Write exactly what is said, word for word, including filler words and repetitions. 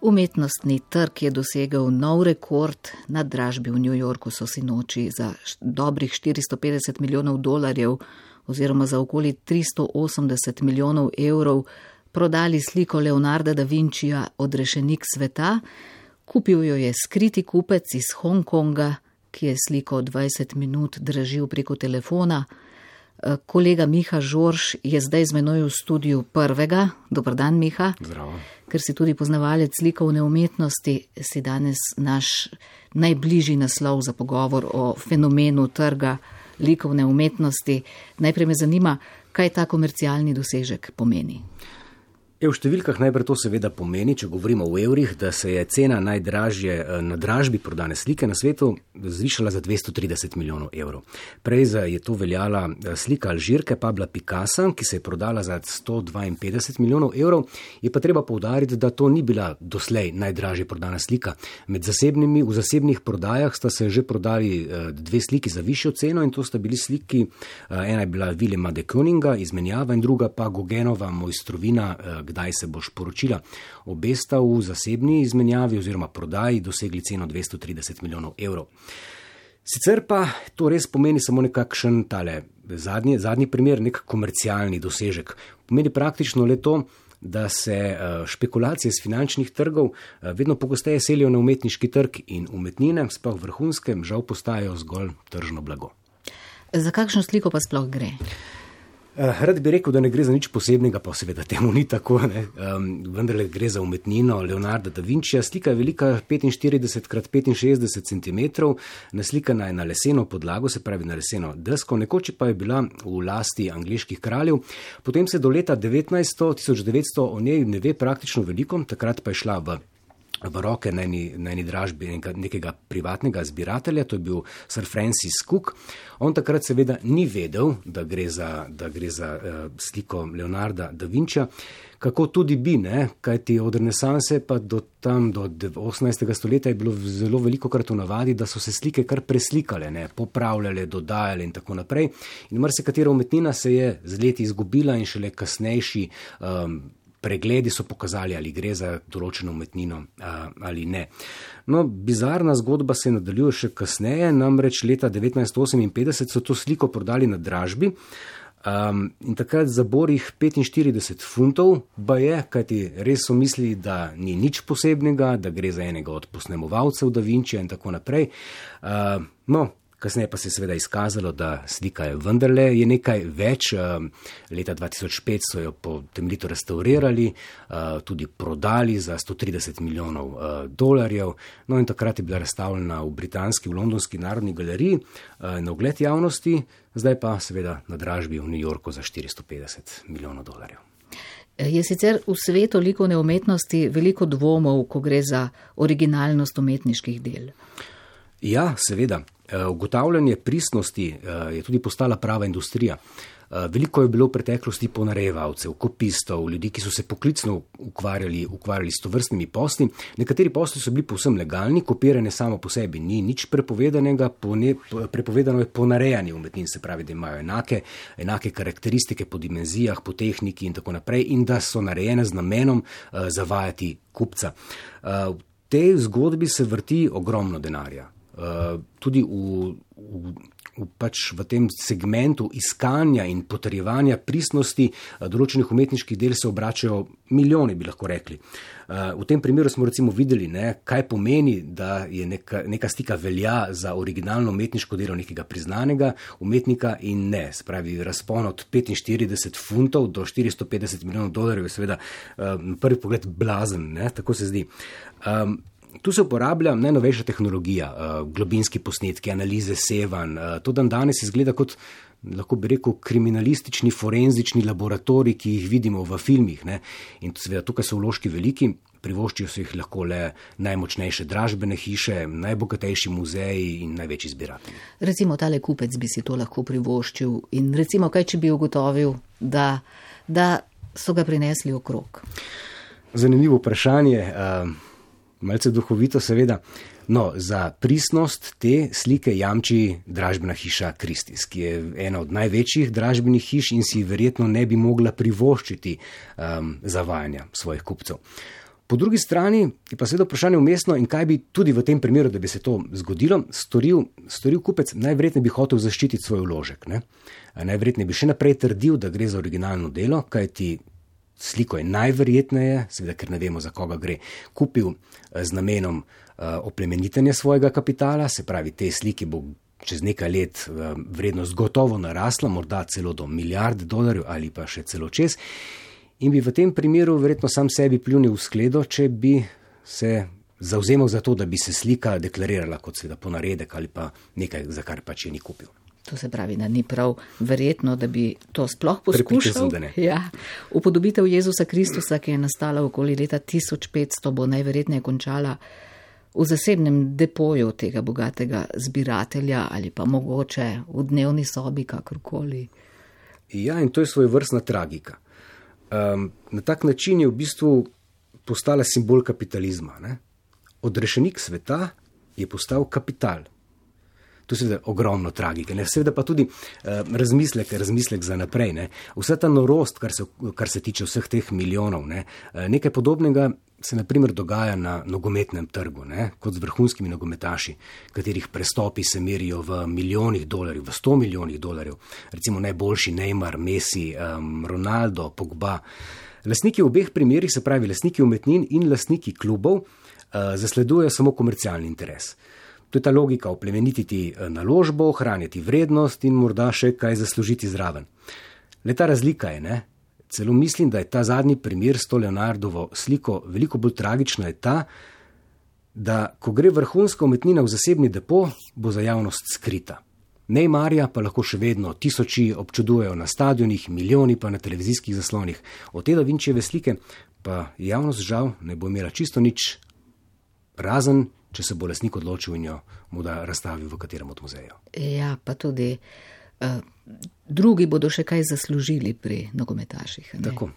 Umetnostni trg je dosegel nov rekord. Na dražbi v New Yorku so si noči za dobrih štiristo petdeset milijonov dolarjev oziroma za okoli tristo osemdeset milijonov evrov prodali sliko Leonarda da Vincija Odrešenik sveta. Kupil jo je skriti kupec iz Hongkonga, ki je sliko dvajset minut dražil preko telefona. Kolega Miha Žorž je zdaj z menoj v studiu Prvega. Dobar dan, Miha. Zdravo. Ker si tudi poznavalec slikovne umetnosti, si danes naš najbližji naslov za pogovor o fenomenu trga likovne umetnosti. Najprej me zanima, kaj ta komercialni dosežek pomeni. Je v številkah najprej to seveda pomeni, če govorimo v evrih, da se je cena najdražje na dražbi prodane slike na svetu zvišala za dvesto trideset milijonov evrov. Prej je to veljala slika Alžirke Pabla Picassa, ki se je prodala za sto dvainpetdeset milijonov evrov. Je pa treba poudariti, da to ni bila doslej najdražje prodana slika. Med zasebnimi, v zasebnih prodajah sta se že prodali dve sliki za višjo ceno in to sta bili sliki, ena je bila Willema de Koninga, izmenjava, in druga pa Gauguinova Mojstrovina, Kdaj se boš poročila. Obe sta v zasebni izmenjavi oziroma prodaji dosegli ceno dvesto trideset milijonov evrov. Sicer pa to res pomeni samo nekakšen tale zadnji, zadnji primer, nek komercialni dosežek. Pomeni praktično le to, da se špekulacije z finančnih trgov vedno pogosteje selijo na umetniški trg in umetnine, sploh vrhunske, žal postajajo zgolj tržno blago. Za kakšno sliko pa sploh gre? Rad bi rekel, da ne gre za nič posebnega, pa seveda temu ni tako, ne. Um, vendar gre za umetnino Leonarda da Vincija. Slika je velika petinštirideset krat petinšestdeset centimetrov, naslikana je na leseno podlago, se pravi na leseno desko, nekoč pa je bila v lasti angleških kraljev. Potem se do leta devetnajststo, tisoč devetsto o njej ne ve praktično veliko, takrat pa je šla v v roke na eni, na eni dražbi nekega privatnega zbiratelja, to je bil Sir Francis Cook. On takrat seveda ni vedel, da gre za, da gre za uh, sliko Leonarda da Vincija, kako tudi bi, ne, kajti od renesanse pa do tam do osemnajstega stoletja je bilo zelo veliko krat v navadi, da so se slike kar preslikale, ne, popravljale, dodajale in tako naprej. In marsikatera umetnina se je z leti izgubila in šele kasnejši um, pregledi so pokazali, ali gre za določeno umetnino a, ali ne. No, bizarna zgodba se nadaljuje še kasneje, namreč leta devetnajststo oseminpetdeset so to sliko prodali na dražbi um, in takrat za borih petinštirideset funtov, ba je, kajti res so mislili, da ni nič posebnega, da gre za enega od posnemovalcev da Vincija in tako naprej. Uh, no, Kasneje pa se je seveda izkazalo, da slika je vendarle je nekaj več. Leta dva tisoč pet so jo temeljito restaurirali, tudi prodali za sto trideset milijonov dolarjev. No in takrat je bila razstavljena v britanski, v londonski narodni galeriji na ogled javnosti, zdaj pa seveda na dražbi v New Yorku za štiristo petdeset milijonov dolarjev. Je sicer v svetu likovne umetnosti veliko dvomov, ko gre za originalnost umetniških del? Ja, seveda. Ugotavljanje pristnosti je tudi postala prava industrija. Veliko je bilo v preteklosti ponarejevalcev, kopistov, ljudi, ki so se poklicno ukvarjali, ukvarjali s tovrstnimi posli. Nekateri posli so bili povsem legalni, kopiranje samo po sebi ni nič prepovedanega, pone, prepovedano je ponarejanje umetnin, se pravi, da imajo enake, enake karakteristike po dimenzijah, po tehniki in tako naprej in da so narejene z namenom uh, zavajati kupca. Uh, v tej zgodbi se vrti ogromno denarja. Uh, tudi v, v, v, pač v tem segmentu iskanja in potrjevanja pristnosti uh, določenih umetniških del se obračajo milijoni, bi lahko rekli. Uh, v tem primeru smo recimo videli, ne, kaj pomeni, da je neka, neka slika velja za originalno umetniško delo nekega priznanega umetnika in ne. Spravi, razpon od petinštirideset funtov do štiristo petdeset milijonov dolarjev je seveda uh, na prvi pogled blazen, ne, tako se zdi. Um, Tu se uporablja najnovejša tehnologija, globinski posnetki, analize sevanj. To dan danes izgleda kot, lahko bi rekel, kriminalistični, forenzični laboratorij, ki jih vidimo v filmih. Ne? In seveda tukaj so vložki veliki, privoščijo se jih lahko le najmočnejše dražbene hiše, najbogatejši muzeji in največji zbiratelji. Recimo tale kupec bi si to lahko privoščil in recimo kaj, če bi ugotovil, da, da so ga prinesli okrog? Zanimivo vprašanje. Uh, Malce duhovito seveda. No, za pristnost te slike jamči dražbena hiša Christie's, ki je ena od največjih dražbenih hiš in si verjetno ne bi mogla privoščiti um, zavajanja svojih kupcev. Po drugi strani je pa seveda vprašanje umestno in kaj bi tudi v tem primeru, da bi se to zgodilo, storil, storil kupec, najverjetneje bi hotel zaščititi svoj vložek. Ne? Najverjetneje bi še naprej trdil, da gre za originalno delo, kajti sliko je najverjetneje, seveda ker ne vemo, za koga gre, kupil z namenom uh, oplemenitenja svojega kapitala, se pravi, te sliki bo čez nekaj let uh, vrednost gotovo narasla, morda celo do milijarde dolarjev ali pa še celo čez. In bi v tem primeru verjetno sam sebi pljunil v skledo, če bi se zavzemal za to, da bi se slika deklarirala kot seveda ponaredek ali pa nekaj, za kar pač je ni kupil. To se pravi, da ni prav verjetno, da bi to sploh poskušal. Sem, da ne. Ja. Upodobitev Jezusa Kristusa, ki je nastala okoli leta tisoč petsto, bo najverjetneje končala v zasebnem depoju tega bogatega zbiratelja ali pa mogoče v dnevni sobi, kakorkoli. Ja, in to je svojevrstna tragika. Um, na tak način je v bistvu postala simbol kapitalizma. Ne? Odrešenik sveta je postal kapital. To je seveda ogromno tragike, ne? Seveda pa tudi uh, razmislek, razmislek za naprej. Ne? Vsa ta norost, kar se, kar se tiče vseh teh milijonov, ne? uh, nekaj podobnega se naprimer dogaja na nogometnem trgu, ne? Kot z vrhunskimi nogometaši, katerih prestopi se merijo v milijonih dolarjev, v sto milijonih dolarjev, recimo najboljši Neymar, Messi, um, Ronaldo, Pogba. Lastniki v obeh primerih, se pravi lastniki umetnin in lastniki klubov, uh, zasledujejo samo komercialni interes. To je ta logika oplemenititi naložbo, ohranjati vrednost in morda še kaj zaslužiti zraven. Le ta razlika je, ne? Celo mislim, da je ta zadnji primer s to Leonardovo sliko veliko bolj tragična je ta, da ko gre vrhunska umetnina v zasebni depo, bo za javnost skrita. Neymarja pa lahko še vedno tisoči občudujejo na stadionih, milijoni pa na televizijskih zaslonih. Od te Da Vinčijeve slike pa javnost žal ne bo imela čisto nič, razen če se bo lastnik odločil in jo mu da razstavi v katerem od muzejev. Ja, pa tudi uh, drugi bodo še kaj zaslužili pri nogometaših. Ne? Tako.